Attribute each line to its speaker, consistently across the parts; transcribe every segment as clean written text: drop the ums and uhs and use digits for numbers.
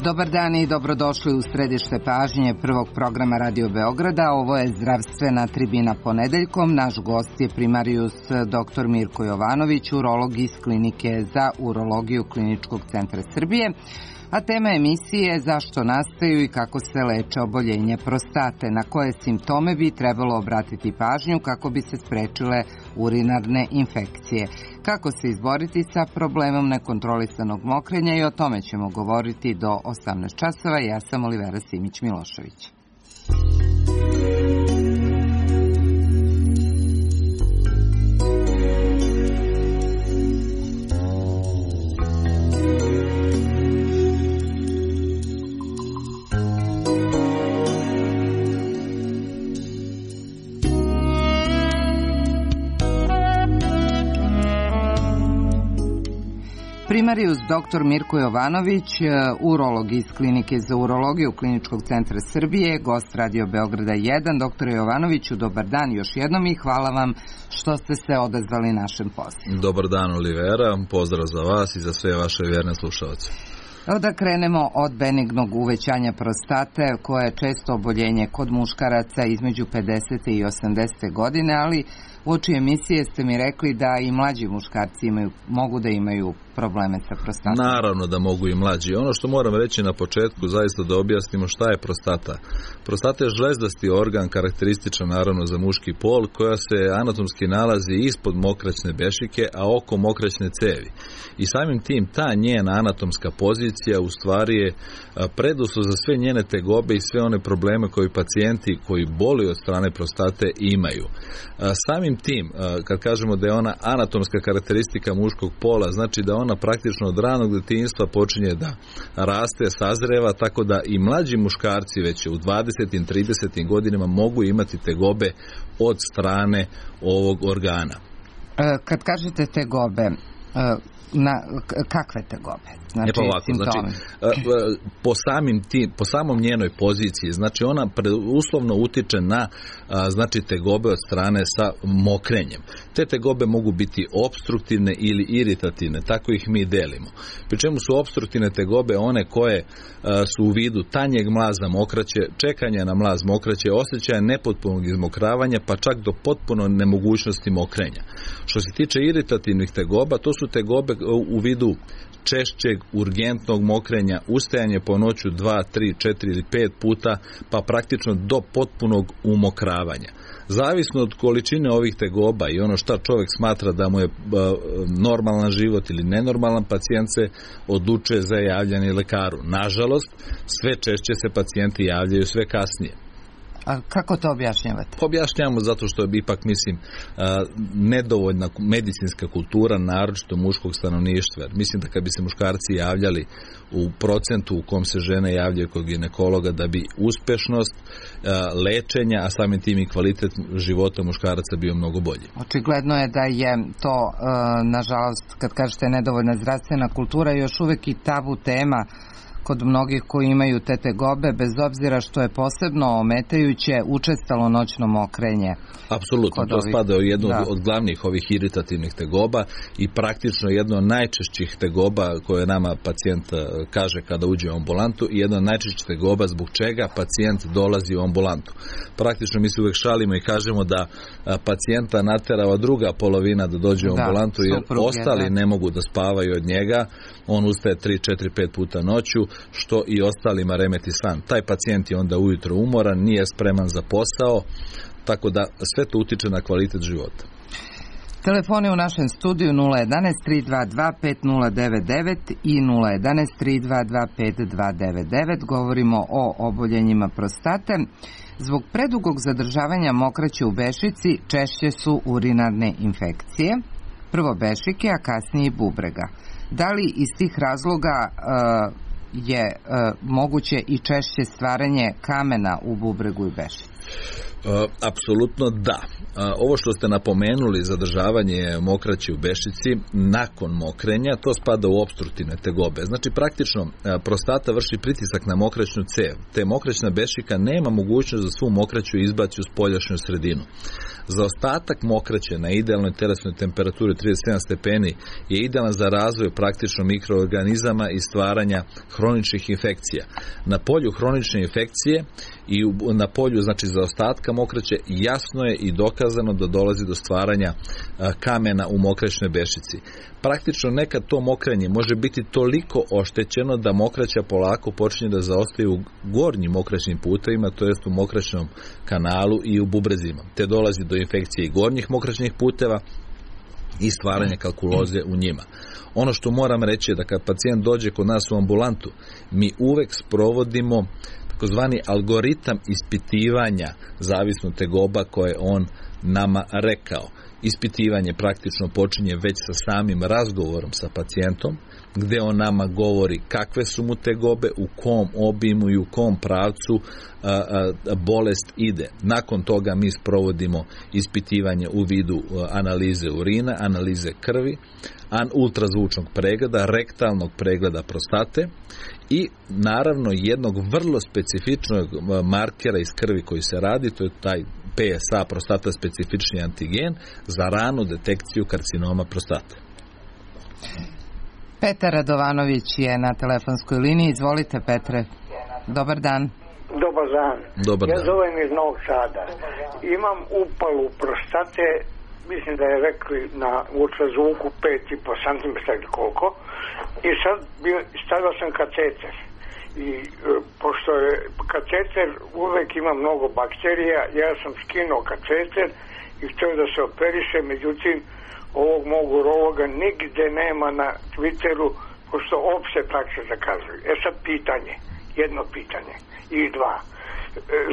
Speaker 1: Dobar dan i dobrodošli u središte pažnje prvog programa Radio Beograda. Ovo je zdravstvena tribina ponedeljkom. Naš gost je primarijus dr. Mirko Jovanović, urolog iz Klinike za urologiju Kliničkog centra Srbije. A tema emisije je zašto nastaju i kako se leče oboljenje prostate, na koje simptome bi trebalo obratiti pažnju kako bi se sprečile urinarne infekcije. Kako se izboriti sa problemom nekontrolisanog mokrenja, i o tome ćemo govoriti do 18 časova. Ja sam Olivera Simić-Milošević. Primarijus dr. Mirko Jovanović, urolog iz Klinike za urologiju Kliničkog centra Srbije, gost Radio Beograda 1. Dr. Jovanoviću, dobar dan još jednom i hvala vam što ste se odazvali našem pozivu.
Speaker 2: Dobar dan, Olivera, pozdrav za vas i za sve vaše vjerne slušalce.
Speaker 1: Evo da krenemo od benignog uvećanja prostate, koje je često oboljenje kod muškaraca između 50. i 80. godine, ali uoči emisije ste mi rekli da i mlađi muškarci mogu da imaju probleme sa prostatom.
Speaker 2: Naravno da mogu i mlađi. Ono što moram reći na početku, zaista da objasnimo šta je prostata. Prostata je žlezdasti organ, karakterističan naravno za muški pol, koja se anatomski nalazi ispod mokraćne bešike, a oko mokraćne cevi. I samim tim ta njena anatomska pozicija u stvari je preduslov za sve njene tegobe i sve one probleme koji pacijenti koji boluju od strane prostate imaju. Samim tim, kad kažemo da je ona anatomska karakteristika muškog pola, znači da ona praktično od ranog detinjstva počinje da raste, sazreva, tako da i mlađi muškarci već u 20. i 30. godinama mogu imati tegobe od strane ovog organa.
Speaker 1: Kad kažete tegobe, kakve tegobe?
Speaker 2: Po samom njenoj poziciji, znači ona uslovno utiče na tegobe od strane sa mokrenjem. Te tegobe mogu biti opstruktivne ili iritativne, tako ih mi delimo. Pri čemu su opstruktivne tegobe one koje su u vidu tanjeg mlaza mokraće, čekanja na mlaz mokraće, osjećaja nepotpunog izmokravanja, pa čak do potpuno nemogućnosti mokrenja. Što se tiče iritativnih tegoba, to su tegobe u vidu češćeg, urgentnog mokrenja, ustajanje po noću 2, 3, 4 ili 5 puta, pa praktično do potpunog umokravanja. Zavisno od količine ovih tegoba i ono šta čovjek smatra da mu je normalan život ili nenormalan, pacijent se odlučuje za javljanje lekaru. Nažalost, sve češće se pacijenti javljaju sve kasnije.
Speaker 1: A kako to objašnjavate?
Speaker 2: Objašnjavamo zato što je ipak, nedovoljna medicinska kultura, naročito muškog stanovništva. Mislim da kad bi se muškarci javljali u procentu u kom se žene javljaju kod ginekologa, da bi uspešnost lečenja, a samim tim i kvalitet života muškaraca bio mnogo bolji.
Speaker 1: Očigledno je da je to, nažalost, kad kažete nedovoljna zdravstvena kultura, još uvek i tabu tema kod mnogih koji imaju te tegobe, bez obzira što je posebno ometajuće učestalo noćno mokrenje.
Speaker 2: Apsolutno, to spada u jednu od glavnih ovih iritativnih tegoba i praktično jedno od najčešćih tegoba koje nama pacijent kaže kada uđe u ambulantu i jedna od najčešćih tegoba zbog čega pacijent dolazi u ambulantu. Praktično mi se uvek šalimo i kažemo da pacijenta naterava druga polovina da dođe u ambulantu jer ostali ne mogu da spavaju od njega. On ustaje 3, 4, 5 puta noću, što i ostalima remeti san. Taj pacijent je onda ujutro umoran, nije spreman za posao, tako da sve to utiče na kvalitet života.
Speaker 1: Telefoni u našem studiju 011-322-5099 i 011-322-5299. Govorimo o oboljenjima prostate. Zbog predugog zadržavanja mokraće u bešici češće su urinarne infekcije, prvo bešike, a kasnije bubrega. Da li iz tih razloga je moguće i češće stvaranje kamena u bubregu i bešici?
Speaker 2: Apsolutno da. Ovo što ste napomenuli, zadržavanje mokraće u bešici nakon mokrenja, to spada u opstruktivne tegobe. Znači praktično prostata vrši pritisak na mokraćnu cev, te mokraćna bešika nema mogućnost da svu mokraću izbaci u spoljašnju sredinu. Zaostatak mokraće na idealnoj telesnoj temperaturi 37 stepeni je idealan za razvoj praktično mikroorganizama i stvaranja hroničnih infekcija. Na polju hronične infekcije i na polju znači zaostatka mokraće jasno je i dokazano da dolazi do stvaranja kamena u mokraćnoj bešici. Praktično nekad to mokrenje može biti toliko oštećeno da mokraća polako počinje da zaostaje u gornjim mokraćnim putevima, to jest u mokraćnom kanalu i u bubrezima, te dolazi do infekcije i gornjih mokraćnih puteva i stvaranja kalkuloze u njima. Ono što moram reći je da kad pacijent dođe kod nas u ambulantu, mi uvek sprovodimo takozvani algoritam ispitivanja zavisno tegoba koje on nama rekao. Ispitivanje praktično počinje već sa samim razgovorom sa pacijentom, gde on nama govori kakve su mu tegobe, u kom obimu i u kom pravcu bolest ide. Nakon toga mi sprovodimo ispitivanje u vidu analize urina, analize krvi, ultrazvučnog pregleda, rektalnog pregleda prostate i naravno jednog vrlo specifičnog markera iz krvi koji se radi, to je taj PSA, prostata specifični antigen, za ranu detekciju karcinoma prostate.
Speaker 1: Petar Radovanović je na telefonskoj liniji. Izvolite, Petre. Dobar dan.
Speaker 3: Dobar dan. Ja zovem iz Novog Sada. Imam upalu prostate, mislim da je rekli na ultrazvuku 5,5 cm ili koliko, i sad stavio sam kateter. I pošto je kateter uvek ima mnogo bakterija, ja sam skinuo kateter i htio da se operiše, međutim ovog mog urologa nigde nema na Twitteru, pošto opšte prakse zakazuju. Sad pitanje, jedno pitanje i dva.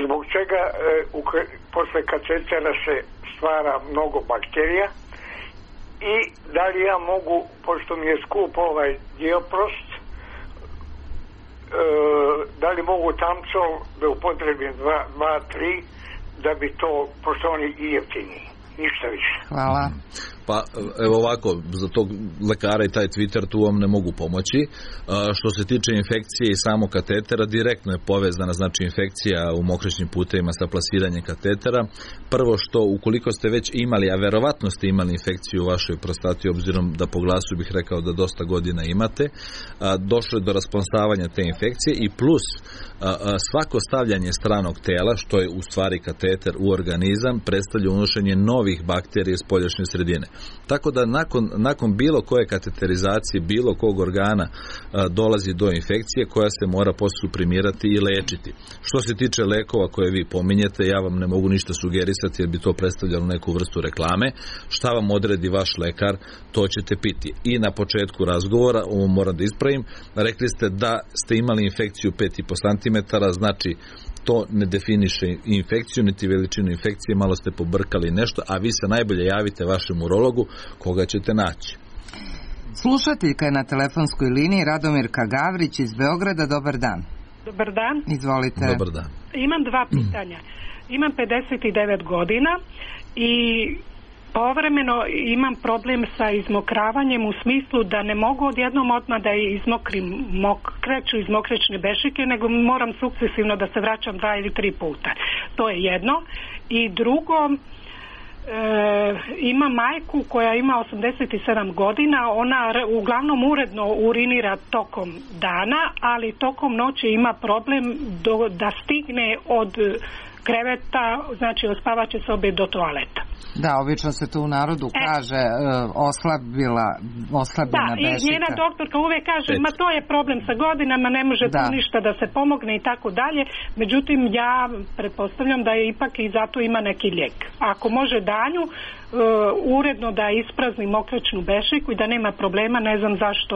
Speaker 3: Zbog čega posle katetera se stvara mnogo bakterija i da li ja mogu, pošto mi je skup ovaj Dioprost, da li mogu Tamcol da upotrebim 2-3 da bi to, pošto oni i jeftiniji, ništa više.
Speaker 1: Hvala.
Speaker 2: Pa evo ovako, za tog lekara i taj Twitter tu vam ne mogu pomoći. Što se tiče infekcije i samog katetera, direktno je povezana znači infekcija u mokraćnim putevima sa plasiranjem katetera. Prvo što ukoliko ste već imali, a verovatno ste imali infekciju u vašoj prostati, obzirom da po glasu bih rekao da dosta godina imate, došlo je do rasponsavanja te infekcije i plus svako stavljanje stranog tela, što je u stvari kateter u organizam, predstavlja unošenje novih bakterija iz spoljašnje sredine. Tako da nakon bilo koje kateterizacije, bilo kog organa dolazi do infekcije koja se mora posuprimirati i lečiti. Što se tiče lekova koje vi pominjete, ja vam ne mogu ništa sugerisati jer bi to predstavljalo neku vrstu reklame. Šta vam odredi vaš lekar, to ćete piti. I na početku razgovora, ovo moram da ispravim, rekli ste da ste imali infekciju 5,5 cm, znači to ne definiše infekciju, niti veličinu infekcije, malo ste pobrkali nešto, a vi se najbolje javite vašem urologu koga ćete naći.
Speaker 1: Slušateljka je na telefonskoj liniji Radomirka Gavrić iz Beograda. Dobar dan.
Speaker 4: Dobar dan.
Speaker 1: Izvolite.
Speaker 2: Dobar dan.
Speaker 4: Imam dva pitanja. Imam 59 godina i povremeno imam problem sa izmokravanjem u smislu da ne mogu odjednom odmah da izmokrim mokraću iz mokraćne bešike, nego moram sukcesivno da se vraćam 2 ili 3 puta. To je jedno. I drugo, ima majku koja ima 87 godina, ona uglavnom uredno urinira tokom dana, ali tokom noći ima problem da stigne od kreveta, znači od spavaće sobe do toaleta.
Speaker 1: Da, obično se tu u narodu kaže oslabljena
Speaker 4: bešika. Da, i njena doktorka uvek kaže, ma to je problem sa godinama, ne može tu ništa da se pomogne i tako dalje. Međutim, ja pretpostavljam da je ipak i zato ima neki lijek. Ako može danju uredno da isprazni mokraćnu bešiku i da nema problema, ne znam zašto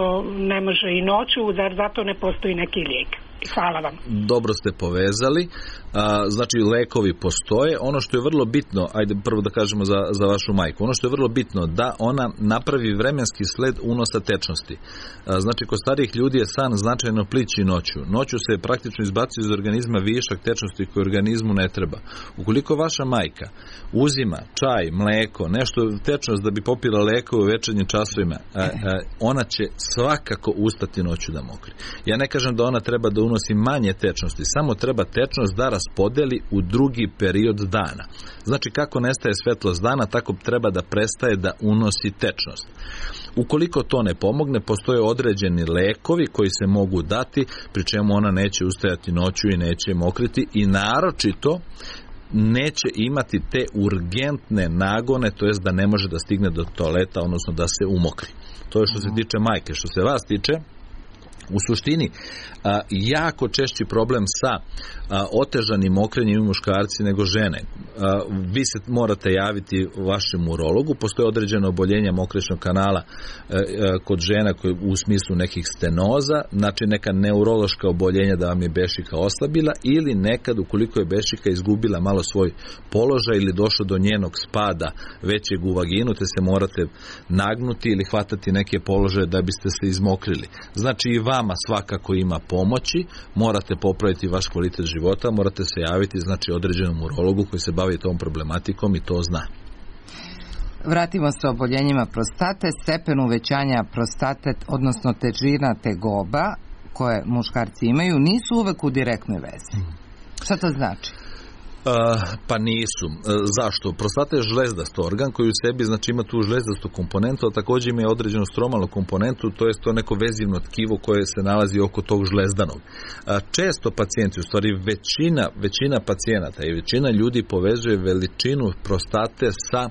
Speaker 4: ne može i noću, zar zato ne postoji neki lijek. Hvala vam.
Speaker 2: Dobro ste povezali. Znači, lekovi postoje. Ono što je vrlo bitno, ajde prvo da kažemo za vašu majku, ono što je vrlo bitno da ona napravi vremenski sled unosa tečnosti. Znači, kod starijih ljudi je san značajno plići noću. Noću se praktično izbacuje iz organizma višak tečnosti koji organizmu ne treba. Ukoliko vaša majka uzima čaj, mleko, nešto tečnost da bi popila lekove u večernjim časovima, ona će svakako ustati noću da mokri. Ja ne kažem da ona treba da unosi manje tečnosti, samo treba tečnost da raspodeli u drugi period dana. Znači, kako nestaje svetlost dana, tako treba da prestaje da unosi tečnost. Ukoliko to ne pomogne, postoje određeni lekovi koji se mogu dati, pri čemu ona neće ustajati noću i neće mokriti i naročito neće imati te urgentne nagone, to jest da ne može da stigne do toaleta, odnosno da se umokri. To je što se tiče majke. Što se vas tiče, u suštini, jako češći problem sa otežanim mokrenjem i muškarci nego žene. Vi se morate javiti vašem urologu. Postoje određeno oboljenja mokrečnog kanala kod žena u smislu nekih stenoza, znači neka neurološka oboljenja da vam je bešika oslabila ili nekad ukoliko je bešika izgubila malo svoj položaj ili došlo do njenog spada većeg u vaginu, te se morate nagnuti ili hvatati neke položaje da biste se izmokrili. Znači i vama svakako ima pomoći, morate popraviti vaš kvalitet života, morate se javiti znači određenom urologu koji se bavi tom problematikom i to zna.
Speaker 1: Vratimo se oboljenjima prostate. Stepen uvećanja prostate, odnosno težina tegoba koje muškarci imaju, nisu uvek u direktnoj vezi. Šta to znači?
Speaker 2: Pa nisu. Zašto? Prostata je žlezdast organ koji u sebi znači ima tu žlezdastu komponentu, a također ima određenu stromalnu komponentu, to je to neko vezivno tkivo koje se nalazi oko tog žlezdanog. Često pacijenti, u stvari većina pacijenata i većina ljudi povezuje veličinu prostate sa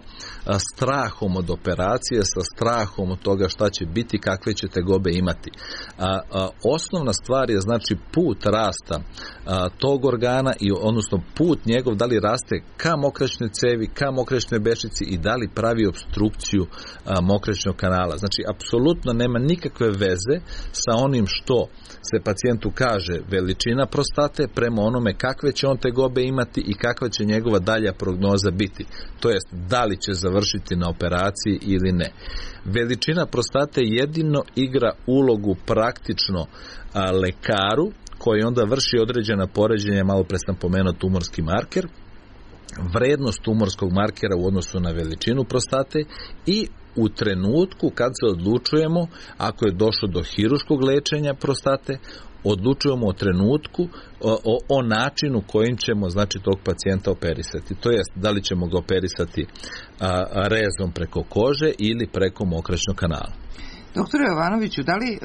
Speaker 2: strahom od operacije, sa strahom od toga šta će biti, kakve će tegobe imati. Osnovna stvar je znači put rasta tog organa i odnosno put njegov da li raste ka mokraćnoj cevi, ka mokraćnoj bešici i da li pravi opstrukciju mokraćnog kanala. Znači, apsolutno nema nikakve veze sa onim što se pacijentu kaže veličina prostate prema onome kakve će on tegobe imati i kakva će njegova dalja prognoza biti. To jest, da li će završiti na operaciji ili ne. Veličina prostate jedino igra ulogu praktično lekaru koji onda vrši određena poređenja, malo pre sam pomenuo tumorski marker, vrednost tumorskog markera u odnosu na veličinu prostate i u trenutku kad se odlučujemo, ako je došlo do hirurškog lečenja prostate, odlučujemo o trenutku, o načinu kojim ćemo znači tog pacijenta operisati. To jest, da li ćemo ga operisati rezom preko kože ili preko mokraćnog kanala.
Speaker 1: Doktor Jovanoviću, da li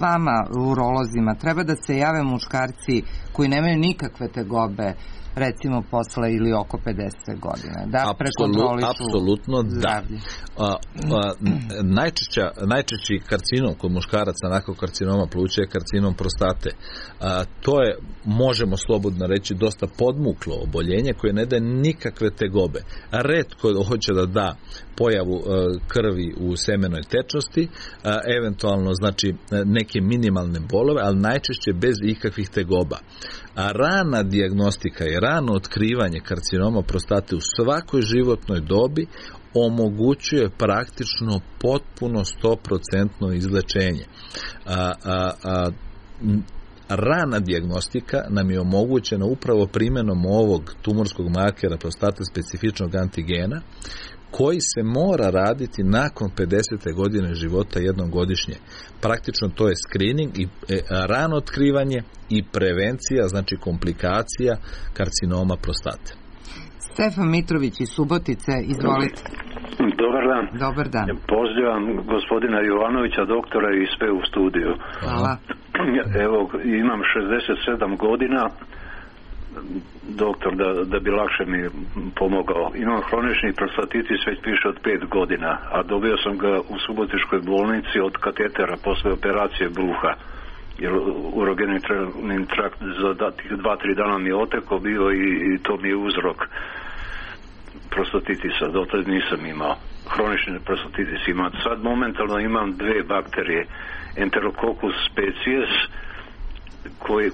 Speaker 1: vama, urolozima, treba da se jave muškarci koji nemaju nikakve tegobe, recimo posle ili oko 50 godina, da prekontrolišu
Speaker 2: apsolutno
Speaker 1: zdravlje?
Speaker 2: Da. Najčešći karcinom kod muškaraca nakon karcinoma pluća je karcinom prostate. To je, možemo slobodno reći, dosta podmuklo oboljenje koje ne daje nikakve tegobe. Retko hoće da da pojavu krvi u semenoj tečnosti, eventualno znači neke minimalne bolove, ali najčešće bez ikakvih tegoba. A rana dijagnostika i rano otkrivanje karcinoma prostate u svakoj životnoj dobi omogućuje praktično potpuno 100% izlečenje. Rana dijagnostika nam je omogućena upravo primjenom ovog tumorskog markera prostate specifičnog antigena koji se mora raditi nakon 50. godine života jednom godišnje. Praktično to je screening i rano otkrivanje i prevencija, znači komplikacija karcinoma prostate.
Speaker 1: Stefan Mitrović iz Subotice, izvolite.
Speaker 5: Dobar dan.
Speaker 1: Dobar dan.
Speaker 5: Pozivam gospodina Jovanovića, doktora i sve u studiju.
Speaker 1: Hvala.
Speaker 5: Evo, imam 67 godina, doktor, da bi lakše mi pomogao. Imam hronični prostatitis već više od 5 godina, a dobio sam ga u Subotičkoj bolnici od katetera posle operacije bruha. Jer urogeni trakt za tih 2-3 dana mi je oteko bio i to mi je uzrok prostatitisa. Dotad nisam imao. Hronični prostatitis imam. Sad momentalno imam 2 bakterije. Enterococcus species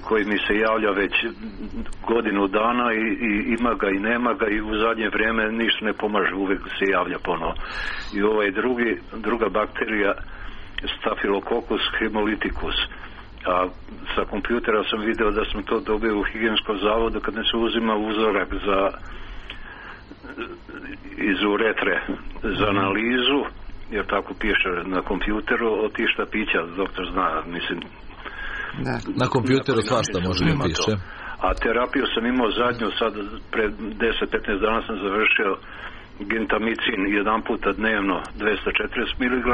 Speaker 5: koji mi se javlja već godinu dana i ima ga i nema ga i u zadnje vrijeme ništa ne pomaže, uvijek se javlja ponovo. I ovaj druga bakterija Staphylococcus hemolyticus. A sa kompjutera sam video da sam to dobio u higijenskom zavodu kad ne se uzima uzorak iz uretre za analizu, jer tako piše na kompjuteru, od tih štapića, doktor zna, mislim.
Speaker 2: Da. Na kompjuteru svašta može da piše.
Speaker 5: A terapiju sam imao zadnju, sad pred 10-15 dana sam završio gentamicin jedan puta dnevno 240 mg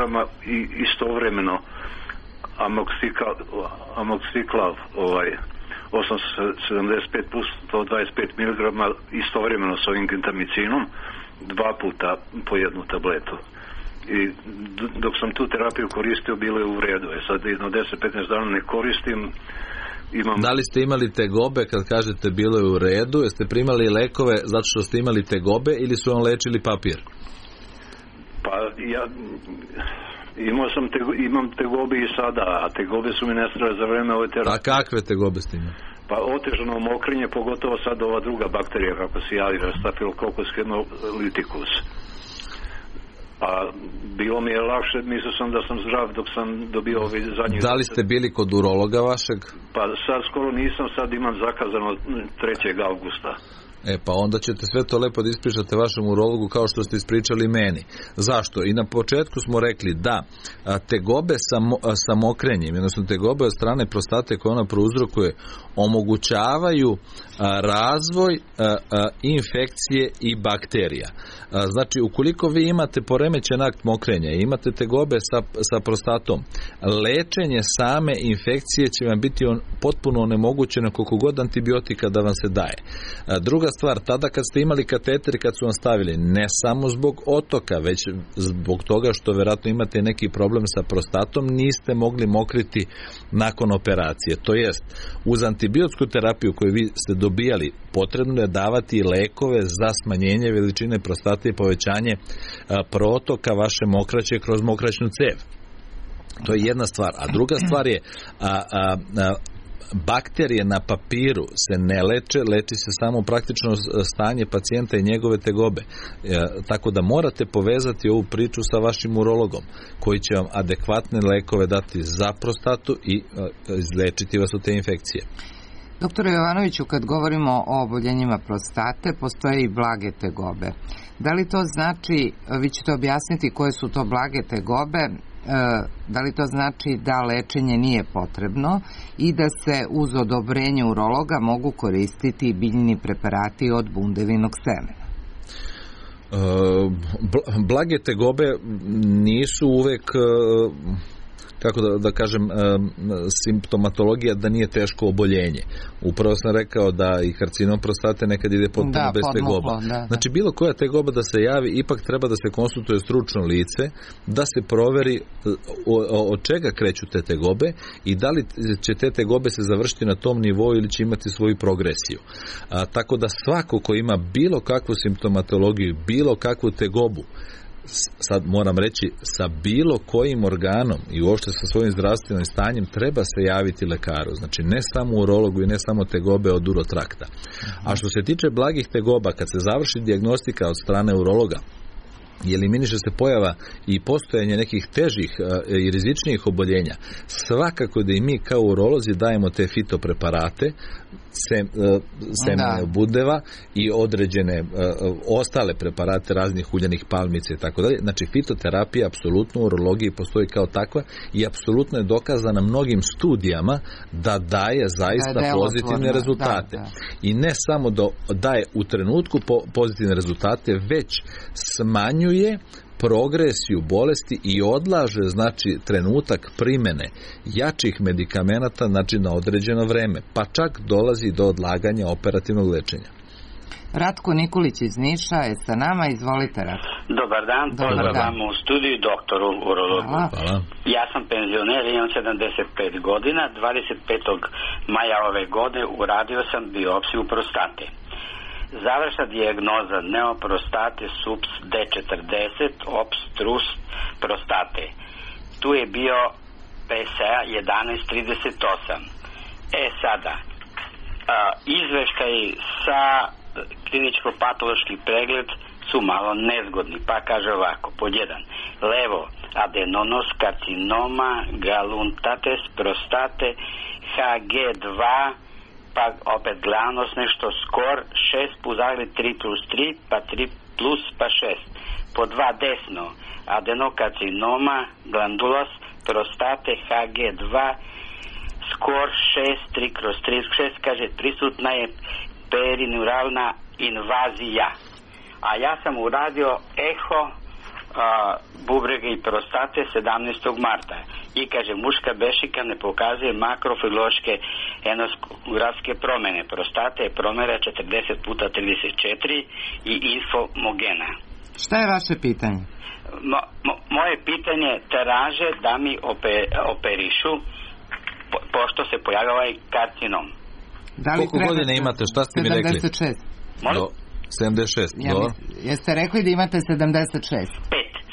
Speaker 5: i istovremeno amoxiclav 875 plus 125 mg istovremeno s ovim gentamicinom 2 puta po jednu tabletu. I dok sam tu terapiju koristio bilo je u redu. Sad jedno 10-15 dana ne koristim.
Speaker 2: Da li ste imali tegobe kad kažete bilo je u redu? Jeste primali lekove zato što ste imali tegobe ili su vam lečili papir?
Speaker 5: Pa ja imam tegobe i sada, a tegobe su mi nestale za vreme ove terapije.
Speaker 2: A kakve tegobe ste imali?
Speaker 5: Pa otežano mokrenje, pogotovo sad ova druga bakterija kako se javi, Staphylococcus hemolyticus. A bilo mi je lakše, mislio sam da sam zdrav dok sam dobio ovi zadnji...
Speaker 2: Da li ste bili kod urologa vašeg?
Speaker 5: Pa sad skoro nisam, sad imam zakazano 3. augusta.
Speaker 2: Pa onda ćete sve to lepo da ispričate vašem urologu kao što ste ispričali meni. Zašto? I na početku smo rekli da tegobe sa mokrenjem, odnosno tegobe od strane prostate koje ona prouzrokuje, omogućavaju razvoj infekcije i bakterija. Znači, ukoliko vi imate poremećen akt mokrenja i imate tegobe sa prostatom, lečenje same infekcije će vam biti potpuno onemogućeno koliko god antibiotika da vam se daje. Druga stvar, tada kad ste imali kateter, kad su vam stavili, ne samo zbog otoka, već zbog toga što vjerojatno imate neki problem sa prostatom, niste mogli mokriti nakon operacije. To jest, uz antibiotsku terapiju koju vi ste dobijali, potrebno je davati lekove za smanjenje veličine prostate i povećanje protoka vaše mokraće kroz mokraćnu cev. To je jedna stvar. A druga stvar je bakterije na papiru se ne leči se samo praktično stanje pacijenta i njegove tegobe. Tako da morate povezati ovu priču sa vašim urologom koji će vam adekvatne lekove dati za prostatu i izlečiti vas od te infekcije.
Speaker 1: Doktore Jovanoviću, kad govorimo o oboljenjima prostate, postoje i blage tegobe. Da li to znači, vi ćete objasniti koje su to blage tegobe, da li to znači da lečenje nije potrebno i da se uz odobrenje urologa mogu koristiti biljni preparati od bundevinog semena?
Speaker 2: Blage tegobe nisu uvek, kako da kažem, simptomatologija da nije teško oboljenje. Upravo sam rekao da i karcinom prostate nekad ide potpuno bez tegoba. Znači bilo koja tegoba da se javi, ipak treba da se konsultuje stručno lice, da se proveri od čega kreću te tegobe i da li će te tegobe se završiti na tom nivou ili će imati svoju progresiju. Tako da svako ko ima bilo kakvu simptomatologiju, bilo kakvu tegobu, sad moram reći, sa bilo kojim organom i uopšte sa svojim zdravstvenim stanjem treba se javiti lekaru. Znači ne samo urologu i ne samo tegobe od urotrakta. A što se tiče blagih tegoba, kad se završi dijagnostika od strane urologa i eliminiše se pojava i postojanje nekih težih i rizičnijih oboljenja, svakako da i mi kao urolozi dajemo te fitopreparate, semene budeva i određene ostale preparate raznih uljanih palmica i tako dalje. Znači fitoterapija apsolutno u urologiji postoji kao takva i apsolutno je dokazana mnogim studijama da daje zaista pozitivne rezultate. I ne samo da daje u trenutku pozitivne rezultate, već smanjuje progresiju bolesti i odlaže, znači, trenutak primene jačih medikamenata, znači, na određeno vreme, pa čak dolazi do odlaganja operativnog lečenja.
Speaker 1: Ratko Nikolić iz Niša je sa nama, izvolite Ratko.
Speaker 6: Dobar dan, pozdravam u studiju doktoru urologu.
Speaker 2: Hvala.
Speaker 6: Ja sam penzioner, imam 75 godina, 25. maja ove godine uradio sam biopsiju prostate. Završna dijagnoza neoprostate subs D40 obstrus prostate. Tu je bio PSA 1138. Sada, izveštaj sa kliničko-patološki pregled su malo nezgodni, pa kaže ovako, pod 1, levo, adenonos karcinoma galuntates prostate HG2, pa opet glanos nešto skor 6 plus 3+3 pa 3 plus pa 6. Pod 2 desno, adenokarcinoma glandulos prostate HG2 skor 6 3/3/6, kaže prisutna je perineuralna invazija. A ja sam uradio eho bubrege i prostate 17. marta i kaže muška bešika ne pokazuje makrofiloške enozografske promjene. Prostate je promjera 40x34 i infomogena.
Speaker 1: Šta je vaše pitanje?
Speaker 6: Moje pitanje traže da mi operišu pošto se pojavio ovaj karcinom.
Speaker 2: Koliko godine imate, šta ste mi rekli?
Speaker 1: 76.
Speaker 6: Molim?
Speaker 2: 76, dobro.
Speaker 1: Jeste rekli da imate 76?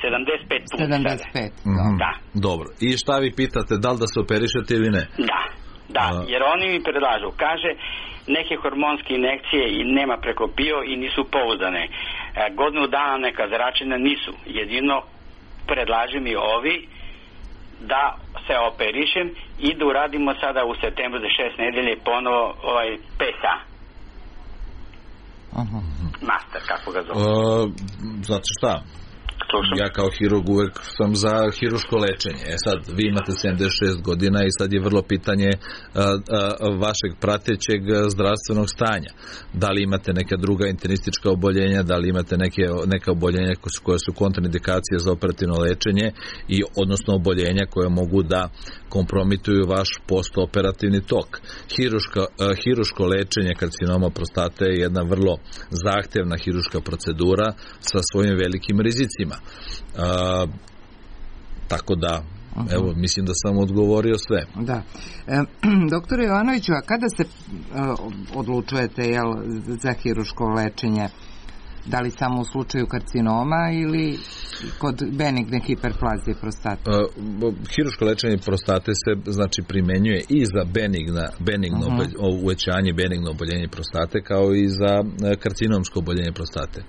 Speaker 6: 75 puta.
Speaker 1: 75,
Speaker 6: da.
Speaker 2: Dobro. I šta vi pitate, da li da se operišete ili ne?
Speaker 6: Da, jer oni mi predlažu, kaže, neke hormonske injekcije i nema prekopio i nisu pouzdane. Godinu dana neka zračenja nisu. Jedino predlaže mi ovi da se operišem i da uradimo sada u septembru za 6 nedelje ponovo PSA. Master, kako ga zove?
Speaker 2: Znate šta? Ja kao hirurg uvek sam za hiruško lečenje. Sad, vi imate 76 godina i sad je vrlo pitanje vašeg pratećeg zdravstvenog stanja. Da li imate neka druga internistička oboljenja, da li imate neka oboljenja koje su kontraindikacije za operativno lečenje i odnosno oboljenja koje mogu da kompromituju vaš postoperativni tok. Hiruško lečenje karcinoma prostate je jedna vrlo zahtevna hiruška procedura sa svojim velikim rizicima. Tako da, evo, mislim da sam odgovorio sve.
Speaker 1: Da. Doktor Jovanoviću, a kada se odlučujete za hiruško lečenje? Da li samo u slučaju karcinoma ili kod benigne hiperplazije prostate?
Speaker 2: Hiruško lečenje prostate se primenjuje i za benigno uvećanje, benigno oboljenje prostate, kao i za karcinomsko oboljenje prostate.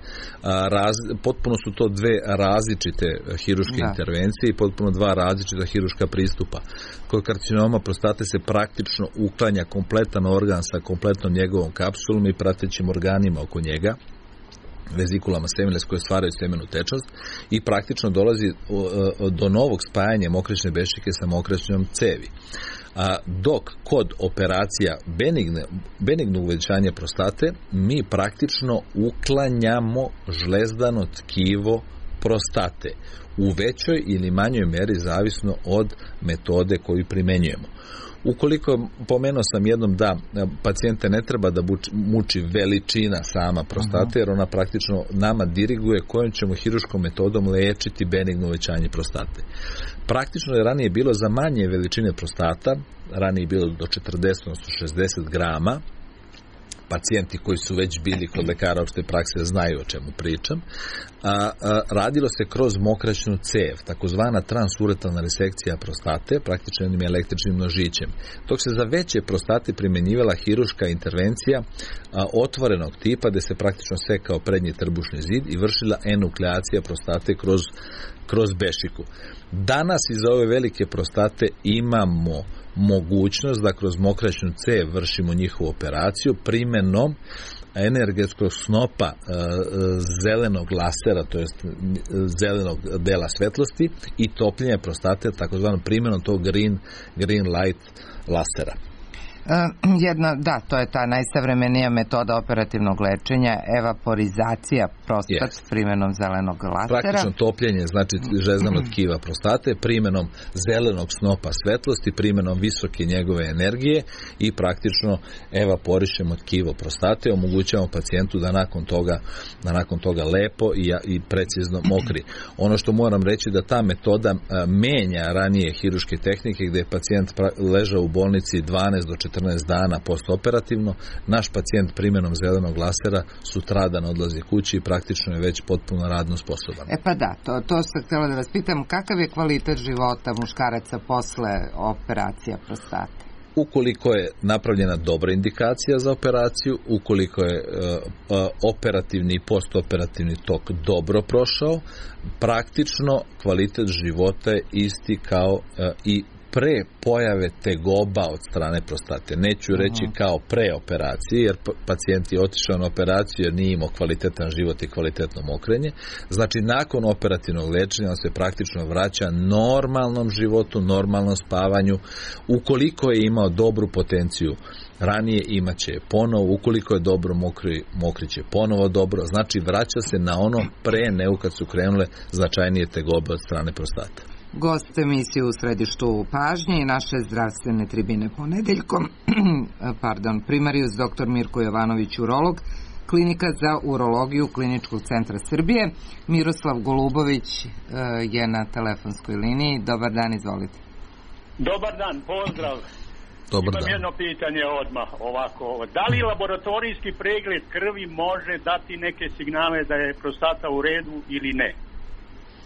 Speaker 2: Potpuno su to dve različite hiruške intervencije i potpuno dva različita hiruška pristupa. Kod karcinoma prostate se praktično uklanja kompletan organ sa kompletnom njegovom kapsulom i pratećim organima oko njega, vezikulama seminales koje stvaraju semenu tečnost i praktično dolazi do novog spajanja mokraćne bešike sa mokraćnom cevi. Dok kod operacija benignog uvećanja prostate mi praktično uklanjamo žlezdano tkivo prostate u većoj ili manjoj meri zavisno od metode koju primenjujemo. Ukoliko, pomenuo sam jednom da pacijente ne treba da muči veličina sama prostate, jer ona praktično nama diriguje kojom ćemo hiruškom metodom lečiti benigno uvećanje prostate. Praktično je ranije bilo za manje veličine prostata, ranije je bilo do 40, odnosno 60 grama, pacijenti koji su već bili kod lekara opšte prakse znaju o čemu pričam. Radilo se kroz mokraćnu cev, takozvana transuretalna resekcija prostate, praktično jednim električnim nožićem. Dok se za veće prostate primjenjivala hiruška intervencija otvorenog tipa, gde se praktično sekao prednji trbušni zid i vršila enukleacija prostate kroz bešiku. Danas iz ove velike prostate imamo mogućnost da kroz mokraćnu cev vršimo njihovu operaciju primenom energetskog snopa zelenog lasera, to jest zelenog dela svetlosti i topljenja prostate takozvanom primenom tog green light lasera.
Speaker 1: To je ta najsavremenija metoda operativnog lečenja, evaporizacija prostat s primjenom zelenog lasera.
Speaker 2: Praktično topljenje, znači žlezdano tkiva prostate, primjenom zelenog snopa svetlosti, primjenom visoke njegove energije i praktično evaporišemo tkivo prostate, omogućavamo pacijentu da nakon toga lepo i precizno mokri. Ono što moram reći da ta metoda menja ranije hiruške tehnike gdje je pacijent ležao u bolnici 12 do 14 dana postoperativno, naš pacijent primjenom zelenog lasera sutradan odlazi kući i praktično je već potpuno radno sposoban.
Speaker 1: To sam htjela da vas pitam, kakav je kvalitet života muškaraca posle operacija prostate?
Speaker 2: Ukoliko je napravljena dobra indikacija za operaciju, ukoliko je operativni i postoperativni tok dobro prošao, praktično kvalitet života je isti kao i pre pojave tegoba od strane prostate. Neću reći kao pre operacije, jer pacijent je otišao na operaciju jer nije imao kvalitetan život i kvalitetno mokrenje. Znači, nakon operativnog lečenja on se praktično vraća normalnom životu, normalnom spavanju. Ukoliko je imao dobru potenciju ranije, imaće je ponovo. Ukoliko je dobro mokriće ponovo dobro. Znači, vraća se na ono pre nego kad su krenule značajnije tegobe od strane prostate.
Speaker 1: Gost emisije u središtu pažnje i naše zdravstvene tribine ponedeljkom, primarijus dr. Mirko Jovanović, urolog, klinika za urologiju Kliničkog centra Srbije. Miroslav Golubović je na telefonskoj liniji. Dobar dan, izvolite.
Speaker 7: Dobar dan, pozdrav. Imam jedno pitanje odmah ovako. Da li laboratorijski pregled krvi može dati neke signale da je prostata u redu ili ne?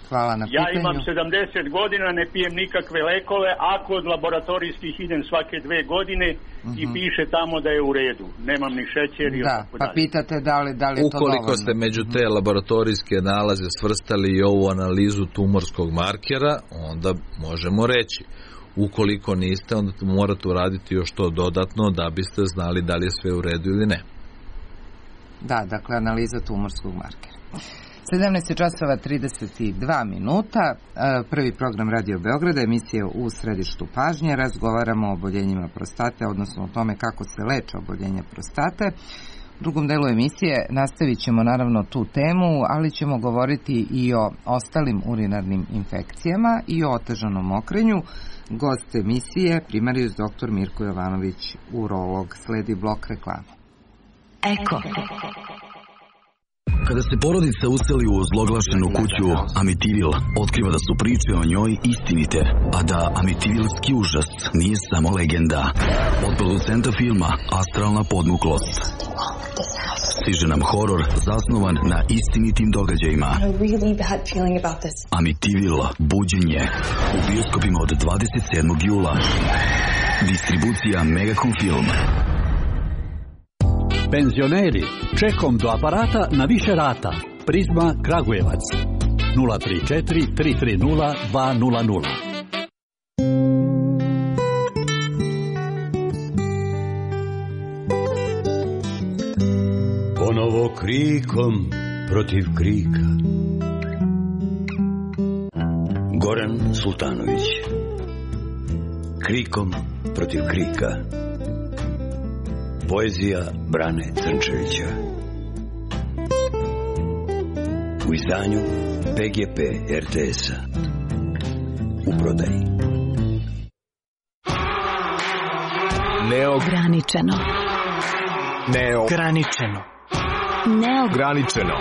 Speaker 1: Hvala na pitanju.
Speaker 7: Ja imam 70 godina, ne pijem nikakve lekove, a kod laboratorijskih idem svake 2 godine i piše tamo da je u redu. Nemam ni šećer i tako dalje.
Speaker 1: Pa pitate da li je to dovoljno.
Speaker 2: Ukoliko ste među te laboratorijske nalaze svrstali i ovu analizu tumorskog markera, onda možemo reći. Ukoliko niste, onda morate uraditi još to dodatno da biste znali da li je sve u redu ili ne.
Speaker 1: Da, dakle, analiza tumorskog markera. 17:32. Prvi program Radio Beograda, emisija u središtu pažnje. Razgovaramo o oboljenjima prostate, odnosno o tome kako se leče oboljenja prostate. U drugom delu emisije nastavit ćemo naravno tu temu, ali ćemo govoriti i o ostalim urinarnim infekcijama i o otežanom mokrenju. Gost emisije, primarijus dr. Mirko Jovanović, urolog. Sledi blok reklama.
Speaker 8: Eko. Kada se porodica useli u ozloglašenu kuću, Amitivil otkriva da su priče o njoj istinite, a da Amitivilski užas nije samo legenda. Od producenta filma Astralna podmuklost stiže nam horor zasnovan na istinitim događajima. Amitivil, buđenje, u bioskopima od 27. jula. Distribucija Megacom Film.
Speaker 9: Penzioneri, čekom do aparata na više rata. Prizma Kragujevac 034 330 200.
Speaker 10: Ponovo krikom protiv krika. Goran Sultanović. Krikom protiv krika. Poezija Brane Crnčevića. U izdanju PGP RTS-a. U prodaji.
Speaker 11: Neograničeno.
Speaker 12: Neograničeno.
Speaker 11: Neograničeno.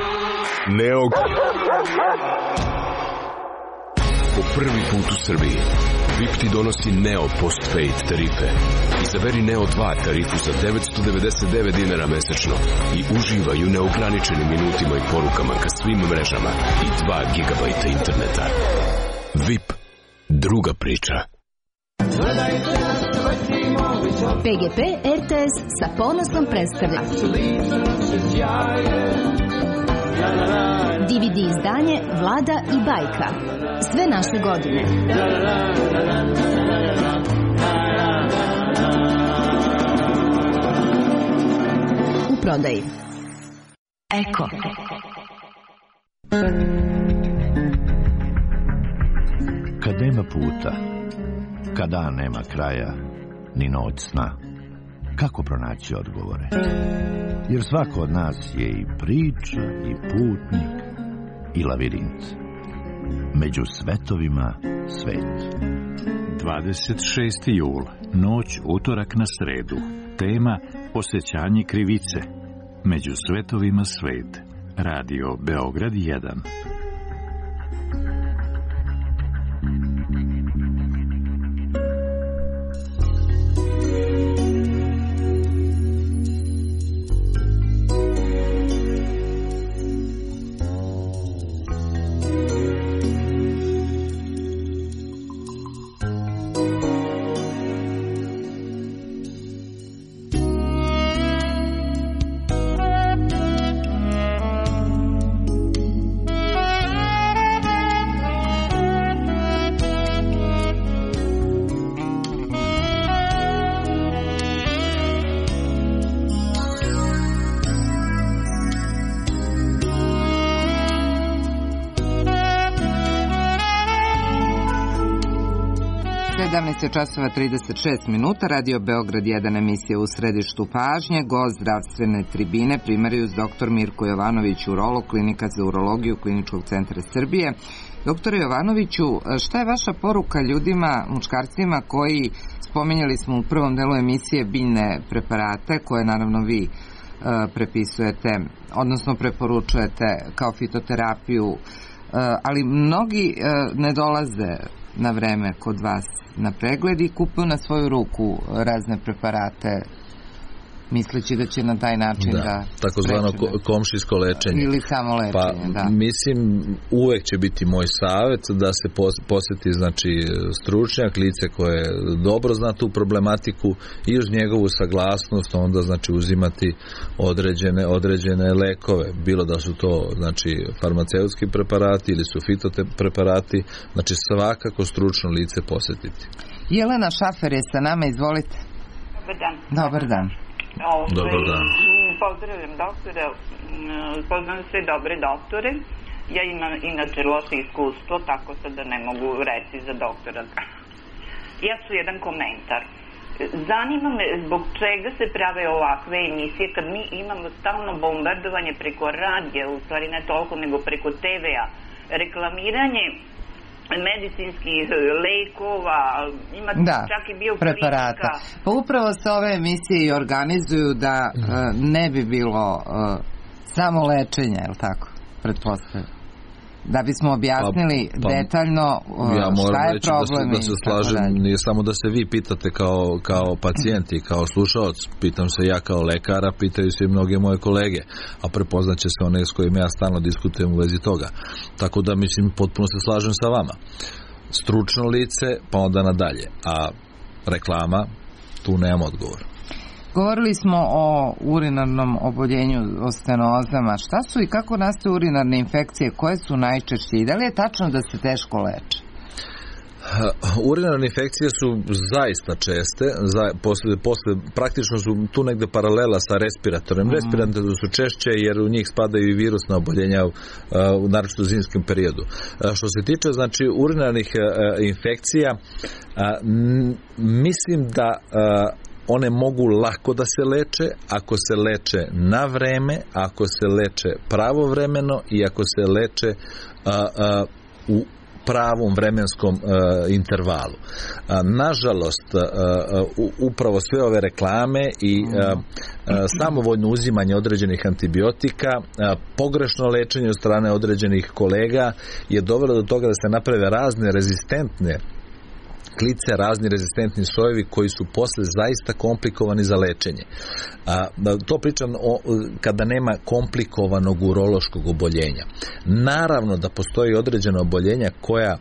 Speaker 12: Po prvi put u Srbiji VIP ti donosi Neo Postpaid tarife. Izaberi Neo 2 tarifu za 999 dinara mesečno i uživaj u neograničenim minutima i porukama ka svim mrežama i 2 gigabajta interneta. VIP, druga priča.
Speaker 11: PGP RTS sa ponosom predstavlja DVD izdanje Vlada i Bajka. Sve naše godine. U prodaji. Eko.
Speaker 13: Kad nema puta, kad dan nema kraja, ni noć sna, kako pronaći odgovore? Jer svako od nas je i priča, i putnik, i lavirint. Među svetovima svet.
Speaker 14: 26. jul, noć utorak na sredu. Tema osjećanje krivice. Među svetovima svet. Radio Beograd 1.
Speaker 1: 17:36, Radio Beograd 1, emisija u središtu pažnje, gost zdravstvene tribine, primarijus dr. Mirko Jovanović, urolog, klinika za urologiju Kliničkog centra Srbije. Doktore Jovanoviću, šta je vaša poruka ljudima, muškarcima koji, spominjali smo u prvom delu emisije, biljne preparate, koje naravno vi prepisujete, odnosno preporučujete kao fitoterapiju, ali mnogi ne dolaze na vreme kod vas na pregled i kupuju na svoju ruku razne preparate, misleći da će na taj način da
Speaker 2: takozvano komšijsko lečenje
Speaker 1: ili samo lečenje.
Speaker 2: Mislim, uvek će biti moj savjet da se posjeti stručnjak, lice koje dobro zna tu problematiku i uz njegovu saglasnost onda uzimati određene lekove, bilo da su to farmaceutski preparati ili su fitopreparati, svakako stručno lice posjetiti.
Speaker 1: Jelena Šafer je sa nama, izvolite.
Speaker 15: Dobar dan.
Speaker 1: Dobar dan.
Speaker 2: Dobar dan.
Speaker 15: Pozdravljam doktore, poznam sve dobre doktore. Ja imam inače loše iskustvo, tako sad da ne mogu reći za doktora. Ja ću jedan komentar. Zanima me zbog čega se prave ovakve emisije kad mi imamo stalno bombardovanje preko radija, u stvari ne toliko nego preko TV-a, reklamiranje medicinskih lekova, ima čak i bioklinika.
Speaker 1: Pa upravo se ove emisije i organizuju da ne bi bilo samo lečenja, je li tako? Pretpostavljam. Da bismo objasnili detaljno šta je problem.
Speaker 2: Da se slažem, nije samo da se vi pitate kao pacijent i kao slušalac, pitam se ja kao lekara, pitaju se i mnoge moje kolege, a prepoznaće se one s kojim ja stalno diskutujem u vezi toga. Tako da, mislim, potpuno se slažem sa vama. Stručno lice, pa onda nadalje. A reklama, tu nemam odgovor.
Speaker 1: Govorili smo o urinarnom oboljenju, o stenozama. Šta su i kako nastaju urinarne infekcije? Koje su najčešće? I da li je tačno da se teško leče?
Speaker 2: Urinarne infekcije su zaista česte, posle praktično su tu negde paralela sa respiratorem. Respiratori su češće jer u njih spadaju i virusna oboljenja, naročito u zimskom periodu. Što se tiče urinarnih infekcija, mislim da one mogu lako da se leče ako se leče na vreme, ako se leče pravovremeno i ako se leče u pravom vremenskom intervalu. Nažalost, upravo sve ove reklame i samovoljno uzimanje određenih antibiotika, pogrešno lečenje od strane određenih kolega je dovelo do toga da se naprave razne rezistentne klice, razni rezistentni sojevi koji su posle zaista komplikovani za lečenje. To pričam kada nema komplikovanog urološkog oboljenja. Naravno da postoji određena oboljenja koja